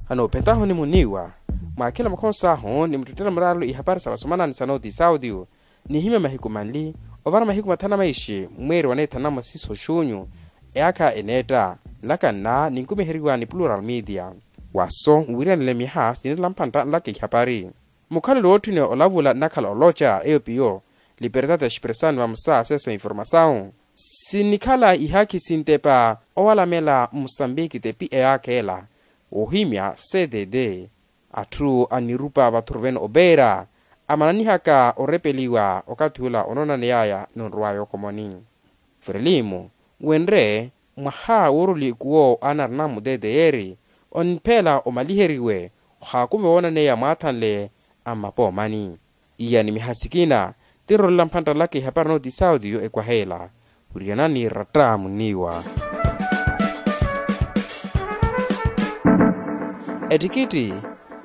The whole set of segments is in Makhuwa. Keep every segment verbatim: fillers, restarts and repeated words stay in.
Vano ophentahu ni muniiwa mwakhela makhonso ahu ni muttettela muraarelo ihapari sa vasomanani sa noti saudio, nihimya mahiku manli ovara mahiku mathanu na maishi mweeri waneethanamo siso xunyu. Eyaakha eneetta nlaka nna ninkumiheriwa ni plural media. Waso nwiriyanele myaha sinirela mphantta nlaka ihapari. Mukhalelo wootthuniwa olavula nnakhala oloca eyo piyo libertad expressao ni vamosa aseso informasawu. Sinnikhala ihaakhi sintepa owalamela musambiki tepi eyaakha ela woohimya cdd. Atthu anirupa vathuruvene opeera amananihaka orepeliwa okathi ula onoonaneyaya nonrowaya okomoni. Frelimo wenre mwaha woorulikuwo anarina mutete yeeri onipheela omaliheriwe ohaakuve woonaneya mwaathanle a mmapoomani. Iya ni miha sikina tirolela mphantta laka ihapari nooti saudio ekwaheela. Wiriyanani ratta muniiwa. Ettikitti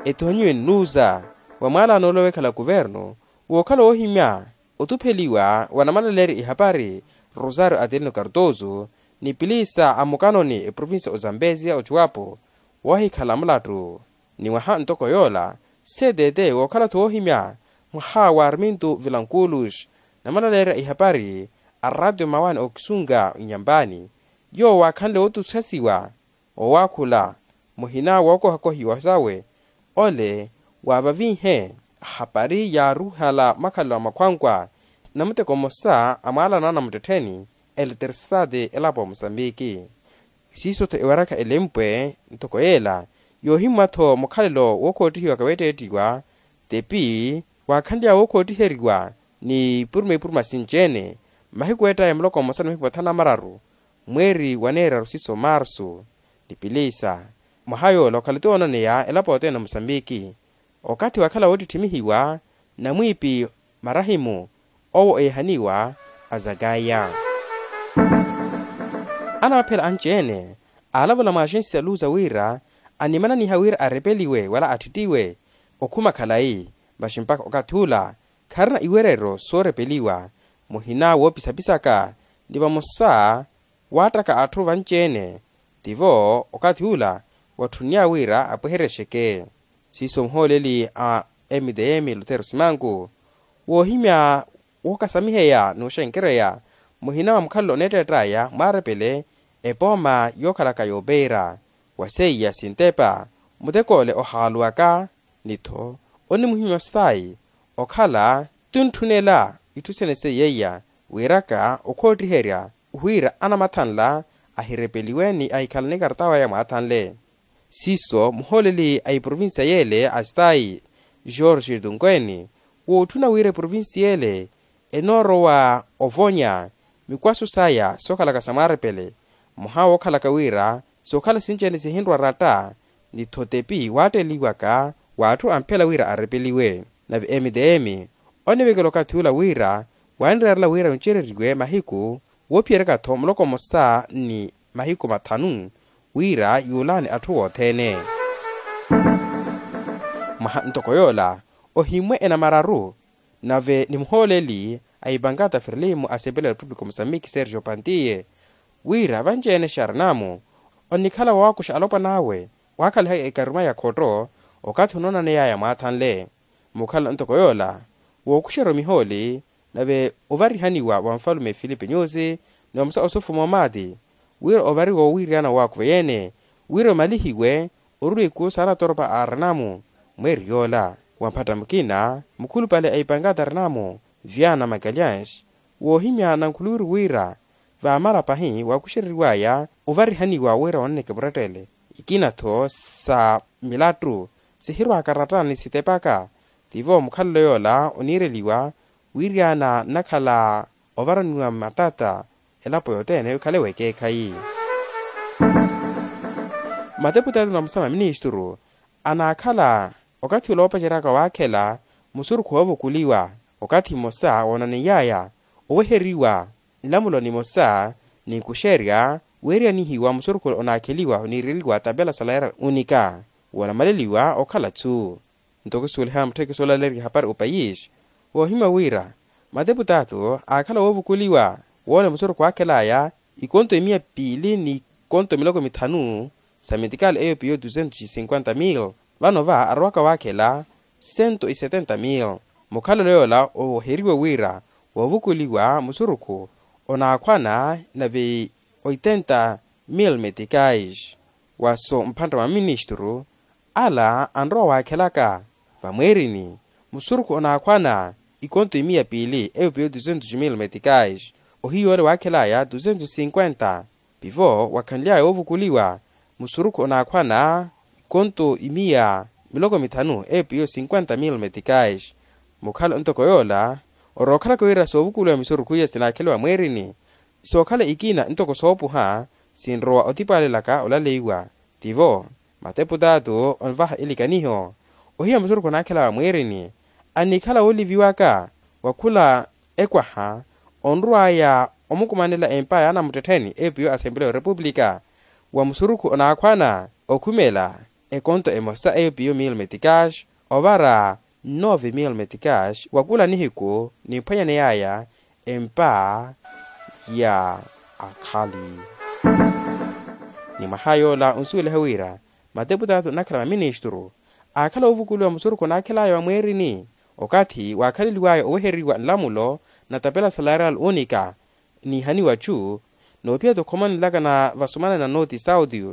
ethonyiwe nnuuza wa mwaala anoolowa ekhala kuvernu wookhala woohimya otupheliwa wa namalaleerya ihapari rosario adelino kartozo ni pilisa a mukanoni eprovincia ozambezia ocuwapo woohikhala mulattu. Ni mwaha ntoko yoola seetete wookhala-tho woohimya mwaha wa arminto vilankulus namalaleerya ihapari a ratio mawaani ookisunga nyampani yoowo waakhanle wootuxasiwa owaakhula muhina wookohakohiwa sawe ole waavaviihe ahapari yaaruhala makhalelo a makhwankwa. Namuteko mmosa a mwaalano a namuttettheni eletersitati elapo a musambiki siiso-tho ewarakha elempwe ntoko yeela yoohimwa-tho mukhalelo wookhoottihiwaka weetteettiwa tepi waakhanly'awe wookhootthiheriwa ni ipuruma ipuruma sinci-ene mmahiku eettaya muloko mmosa ni mahiku mathanu na mararu mweeri waneeraru siso marsu. Ni pilisa mwaha yoola okhala-tho woonaneya elapo yothene ya musambiki okathi waakhala woottitthimihiwa namwiipi marahimu owo eehaniwa azakaya. Anamaphela anci-ene aalavula mwa axensi ya luza wira animananiha wira arepeliwe wala atthittiwe okhuma khalayi masi mpakha okathi ula kharina iwereryo soorepeliwa muhina woopisapisaka ni vamosa waattaka atthu vanci-ene tivo okathi ula watthunnyaya wira apweheryexeke. Siiso muhooleli a mtm lutero simanku woohimya wookasamiheya n'uxenkereya muhina wa mukhalelo oneetteett'aya mwaarepele epooma yookhalaka yoopeera wa seiya sintepa mutek'ole ohaaluwaka ni-tho onimuhimya ostayi okhala ti ontthunela itthu sene seiyeiya wiiraka okhoottiherya wira anamathanla ahirepeliwe ni ahikhalane ekartawa ya mwaathanle. Siiso muhooleli a iprovincia yeele a stayi george tunkweni wootthuna wira eprovincia yeele enoorowa ovonya mikwaso saya sookhalaka sa mwaarepele mwaha wookhalaka wira sookhala sinci-ene sihinrwa ratta ni-tho tepi waatteliwaka w'atthu amphela wira arepeliwe. Nave mtm onivekela okathi ula wira waanireerela wira yuncereriwe mahiku woophiyeryaka-tho muloko mmosa ni mahiku mathanu wira yuulaani atthu wothene. Mwaha ntoko yoola ohimmwe enamararu nave ni muhooleli a ipankata ferlimo a sepelo ya repupulika musambiki sergio pantiye wira vanci-ene xarinamu onikhala woowakuxa alopwan'awe waakhalihaka ekaruma ya khotto okathi onoonaneyaya mwaathanle. Mukhala ntoko yoola wookuxerya omihooli nave ovarihaniwa wa nfalume filipe nyusi ni vamosa osufu moomaati wira ovariwa owiiriyana woowakuva yeene wira omalihiwe oruruwa ikuwo saana atoropa a arinamu mweeri yoola wa mphatta mukina mukhulupale a ipankata arinamu viana magalhães woohimya nankhuluwiru wira vaamara pahi waakuxereriwaya ovarihaniwa wira wanneke murettele ikina-tho sa milattu sihirwaaka ratta ni sitepaka tivo mukhalelo yoola oniireliwa wiiriyana nnakhala ovaraniwa matata elapo yothene okhale wekeekhayi. Mateputati na vamosa maministru anaakhala okathi ula woopaceryaka waakhela musurukhu woovukuliwa okathi mmosa woonaniyaya oweheriwa nlamulo nimosa n'ikuxerya weeriyanihiwa musurukhu onaakheliwa oniireliwa tapela salaira unika woonamaleliwa okhala-tsu. Ntoko suweliha mutthekisi oolaleerya ehapari opayisi woohimya wira mateputaatu aakhala woovukuliwa woole musurukhu waakhelaya ikonto emiya piili n'ikonto miloko mithanu sa metikali eyo piyo duzentos e cinquenta mil. Vano va arowaka waakhela cento e setenta mil. Mukhalelo yoola oweheriwe wira woovukuliwa musurukhu onaakhwana nave oitenta mil metikais. Waso mphantta mwa ministru ala anrowa waakhelaka vamweerini musurukhu onaakhwana ikonto imiya piili eyo piyo duzentos mil metikais. Ohiya ole waakhelaya duzentos cinquenta. Pivo wakhanly'aya woovukuliwa musurukhu onaakhwana ikonto imiya miloko mithanu epiyo cinquenta mil metikais. Mukhalo ntoko yoola orookhalaka wira soovukuliwa misurukhu iya sinaakheliwa mweerini sookhala ikina ntoko soopuha sinrowa otipwaalelaka olaleiwa. Tivo mateputaatu onvaha elikaniho ohiya musurukhu onaakhela wa mweerini annikhala wooliviwaka wa khula ekwaha onrw'aya omukumanela empa ya anamuttettheni epiyo asempeleya orepuplika wa musurukhu onaakhwana okhumela ekonto emosa epiyo mil metikais ovara nove mil metikais wa kula nihiku nimphwanyaney'aya empa ya akhali. Ni mwaha yoola onsuweliha wira mateputaatu nnakhala maministru aakhala oovukuliwa musurukhu onaakhel'aya wa mweerini okathi waakhaleliw'aya oweheriwa nlamulo natapela salarial unika niihaniwa chu noophiya-tho okhoma nlaka na vasumana na noti sauti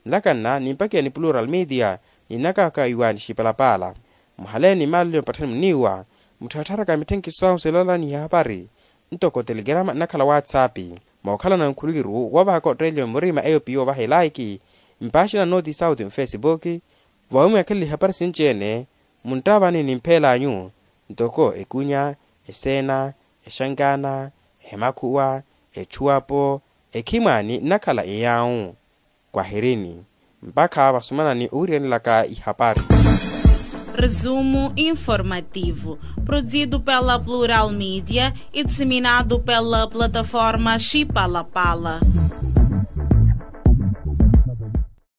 nlaka nna nimpakiya ni plural media ni nnakaka iwa ni xipalapaala. Muhaleeni maalelo mpatthani muniiwa mutthattharaka mitthenkiso ahu silala ni ihapari ntoko telegrama nnakhala whatsapp mookhalana nkhulukiru woovahaka otteeliwa murima eyo piyo ovaha elaiki mpaaxina noti sauti mfesipuki. Vawimwe akhalele ihapari sinci-ene muntavani ni mphela anyu ntoko ekunya eseena exankaana emakhuwa echuwapo ekhimwaani nnakhala eyaawu. Kwahirini mpakha vasumanani owiriyanelaka ihapari. Resumo informativo produzido pela plural media e disseminado pela plataforma xipalapala.